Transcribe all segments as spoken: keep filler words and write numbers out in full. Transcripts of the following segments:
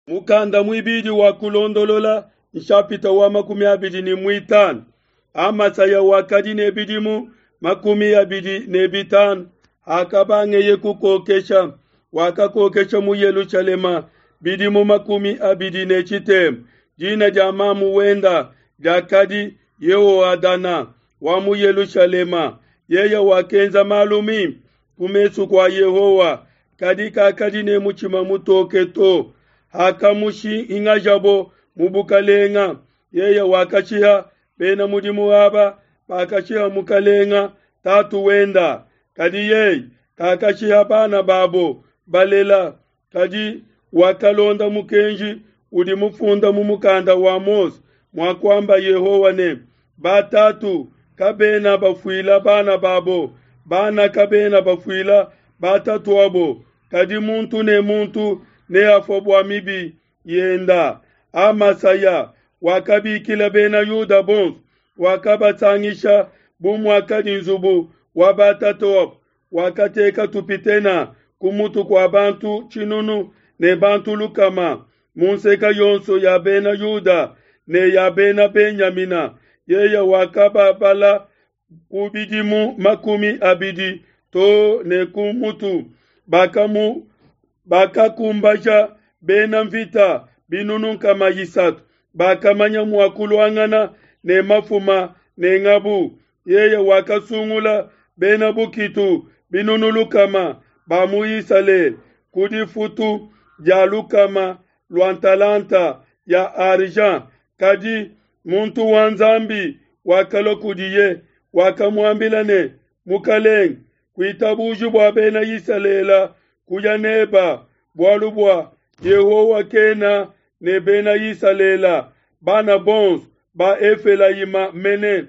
Mukanda muibidi wa Kulondolola nshapita wa makumi abidi ne muitanu. Amasaya wakadi ne bidimu makumi abidi ne bitanu hakabangeye kukokesha, wakakokesha mu Yelushalema bidimu makumi abidi ne tshitema. Dina dia mamu wenda diakadi Yehoadana wa mu Yelushalema. Yeye wakenza malu mimpe ku mesu kua Yehowa, kadi kakadi ne mutshima mutoke to. Hakamushingajabo mu bukalenga, yeye wakashiha bena mudimu aba bakashiha mukalenga tatu wenda. Kadi yeye kakashiha bana babo balela, kadi wakalonda mukenji udi mufunda mu mukanda wa Mose muakuamba Yehowa ne, batatu kabena bafuila bana babo, bana kabena bafuila batatuabo, kadi muntu ne muntu neafue bua mibi yenda. Amasaya wakabikila Bena Yuda bonso, wakabasangisha bu muakadi nzubu wa batatuabo, wakateka tupitena ku mutu kua bantu tshinunu ne bantu lukama mu nseke yonso ya Bena Yuda ne ya Bena Benyamina. Yeye wakababala ku bidimu makumi abidi to ne ku mutu. Bakamu bakakumbaja bena mvita binunu nkama isatu bakamanya mua kuluangana ne mafuma ne ngabu. Yeye wakasungula bena bukitu binunu lukama ba mu Isalele ku difutu dia lukama lua ntalanta ya argent. Kadi muntu wa Nzambi wakalua kudiye, wakamuambila ne, Mukalenge, kuitabuji bua bena Isalele kuya neba, bualu bua Yehowa kena ne bena Isalele, bana bonso ba Efelayima mene.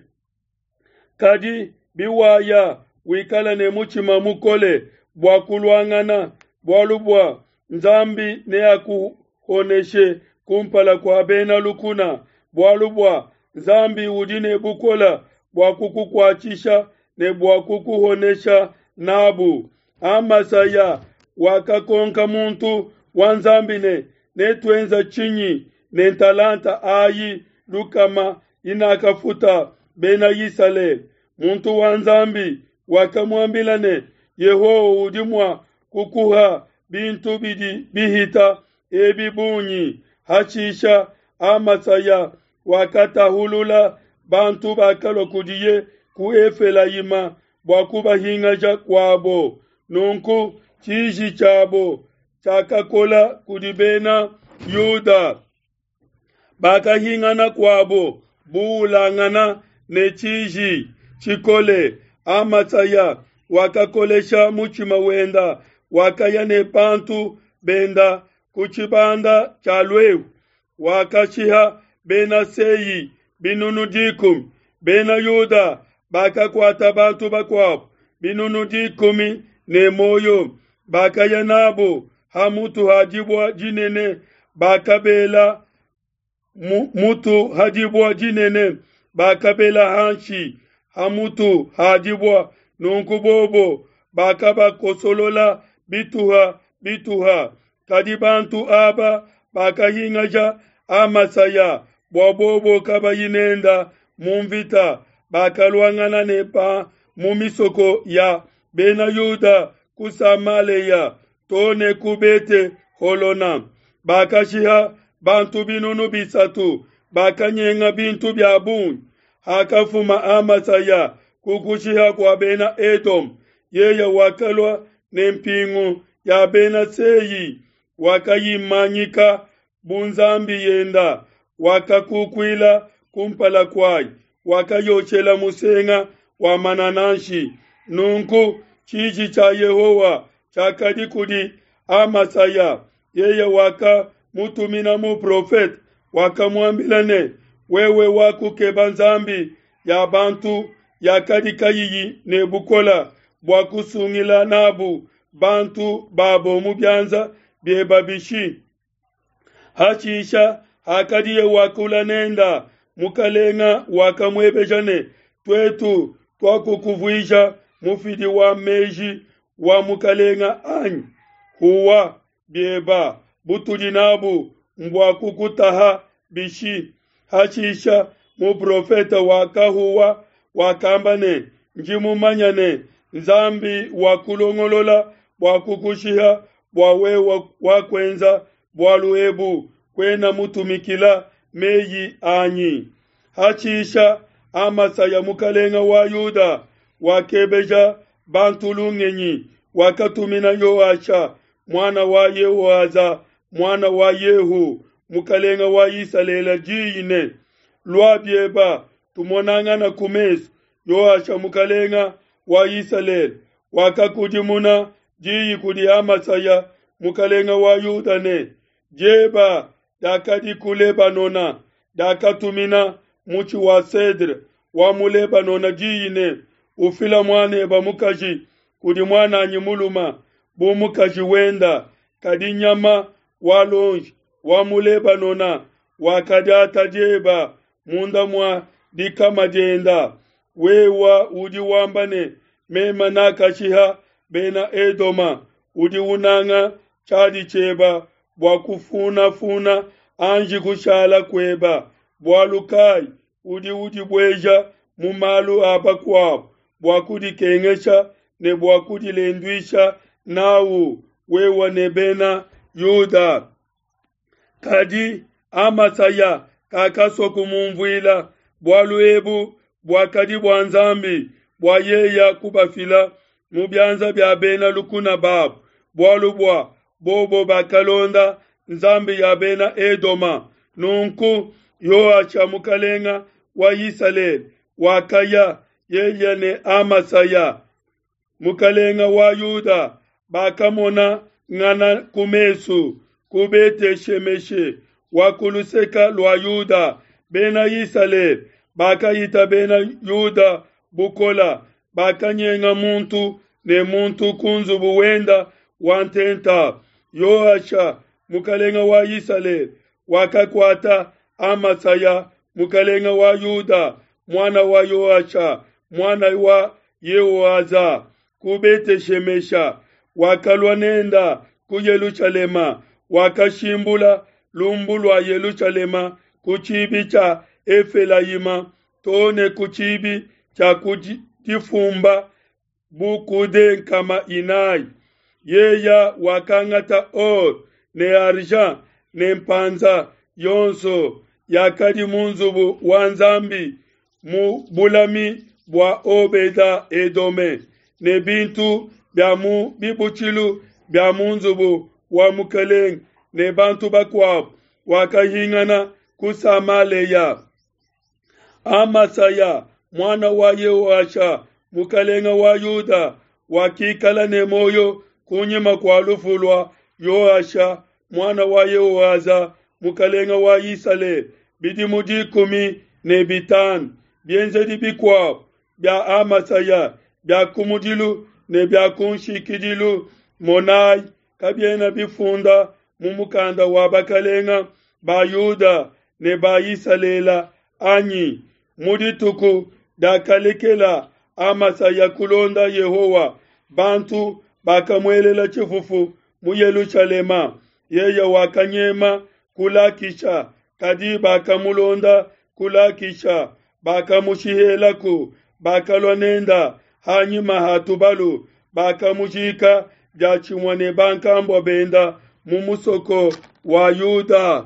Kadi biwaya wikala ne mutshima mukole bua kuluangana, bualu bua Nzambi neakuhoneshe kumpala kua bena lukuna, bualu bua Nzambi udi ne bukole bua kukukuatshisha ne bua kukuhonesha nabu. Amasaya wakakonka muntu wa Nzambi ne, netuenza tshinyi ne ntalanta ayi lukama inakafuta bena Isalele? Muntu wa Nzambi wakamuambila ne, Yehowa udi mua kukuha bintu bidi bihita ebi bungi. Hashisha Amasaya wakatahulula bantu bakalua kudiye ku Efelayima bua kubahingaja kuabo. Nunku tshiji tshiabo tshiakakola kudi bena Yuda, bakahingana kuabo buulangana ne tshiji tshikole. Amasaya wakakolesha mutshima wenda, wakaya ne bantu benda ku tshibanda tshia luehu, wakashiha bena Sei binunu dikumi. Bena Yuda bakakuata bantu bakuabo binunu dikumi ne muoyo, bakaya nabo ha mutu ha dibue dinene, bakabela mutu ha dibue dinene, bakabela hanshi ha mutu ha dibue. Nunku bobo bakabakosolola bituha bituha. Kadi bantu aba bakahingaja Amasaya bua bobo kabayi nenda mu mvita, bakaluangana ne ba mu misoko ya Bena Yuda ku Samalea to ne ku Bete Holona. Bakashiha bantu binunu bisatu, bakanyenga bintu bia bungi. Hakafuma Amasaya ku kushiha kua Bena Edom, yeye wakalua ne mpingu ya Bena Sei, wakayimanyika bu nzambi yenda, wakakukuila kumpala kuayi, wakayoshela musenga wa manananshi. Nunku tshiji tshia Yehowa tshiakadi kudi Amasaya. Yeye wakamutumina muprofete, wakamuambila ne, wewe wakukeba nzambi ya bantu yakadi kayiyi ne bukole bua kusungila nabu bantu babo mu bianza bieba bishi? Hashisha hakadiye wakula nenda, mukalenga wakamuebeja ne, tuetu tuakukuvuija mufidi wa meji wa mukalenga anyi? Huwa bieba butudi nabu mbua kukutaha bishi? Hashisha muprofete wakahuwa, wakamba ne, Ndi mumanya ne, Nzambi wakulongolola bua kukushiha bua wewe wakuenza bualu ebu, kuena mutumikila meyi anyi. Hashisha Amasaya mukalenga wa Yuda wakebeja bantu lungenyi, wakatumina Yoasha muana wa Yehoaza muana wa Yehu mukalenga wa Isalele diyi ne, Lua bieba tumonangana ku mesu. Yoasha mukalenga wa Isalele wakakudimuna diyi kudi Amasaya mukalenga wa Yuda ne, Dieba diakadi ku Lebanona diakatumina mutshi wa cedre wa mu Lebanona diyi ne, Ufila muaneba mukaji kudi muananyi muluma bu mukaji wenda. Kadi nyama wa lonji wa mu Lebanona wakadiata dieba munda mua dikama dienda. Wewa udi wamba ne, Mema nakashiha bena Edoma. Udi unanga tshiadi tshieba bua kufunafuna anji kushala kueba. Bualu kai udi udibueja mu malu a bakuabu bua kudikengesha ne bua kudilenduisha nawu wewa ne bena Yuda? Kadi Amasaya kakasua kumumvuila. Bualu ebu buakadi bua Nzambi bua yeya kubafila mu bianza bia bena lukuna babu, bualu bua bobo bakalonda nzambi ya bena Edoma. Nunku Yoasha mukalenga wa Isalele wakaya yeye ne Amasaya mukalenga wa Yuda, bakamona ngana ku mesu ku Bete-shemeshe wa ku luseka lua Yuda. Bena Isalele bakahita bena Yuda bukola, bakanyenga muntu ne muntu ku nzubu wenda wa ntenta. Yoasha mukalenga wa Isalele wakakuata Amasaya mukalenga wa Yuda muana wa Yoasha muana wa Yehoaza ku Bete-shemesha, wakalua nenda ku Yelushalema, wakashimbula lumbu lua Yelushalema ku tshibi tshia Efelayima to ne ku tshibi tshia ku difumba bu kude nkama inayi. Yeya wakangata or ne argent ne mpanza yonso yakadi mu nzubu wa Nzambi mu bulami bua Obeda Edome ne bintu bia mu bibutshilu bia mu nzubu wa mukelenge ne bantu bakuabu, wakahingana ku Samaleya. Amasaya muana wa Yehoasha mukalenga wa Yuda wakikala ne moyo kunyima kua lufu lua Yoasha muana wa Yehoaza mukalenga wa Isalele bidimu dikumi ne bitanu. Bienzedi bikuabu bia Amasaya bia kumudilu ne bia kunshikidilu, monayi, kabiena bifunda mu mukanda wa bakalenga ba Yuda ne ba Isalele anyi? Mu dituku diakalekela Amasaya kulonda Yehowa, bantu bakamuelela tshifufu mu Yelushalema. Yeye wakanyema ku Lakisha, kadi bakamulonda ku Lakisha, bakamushihelaku, bakalua nenda hanyima ha tubalu, bakamujika diatshimue ne bankambua benda mu musoko wa Yuda.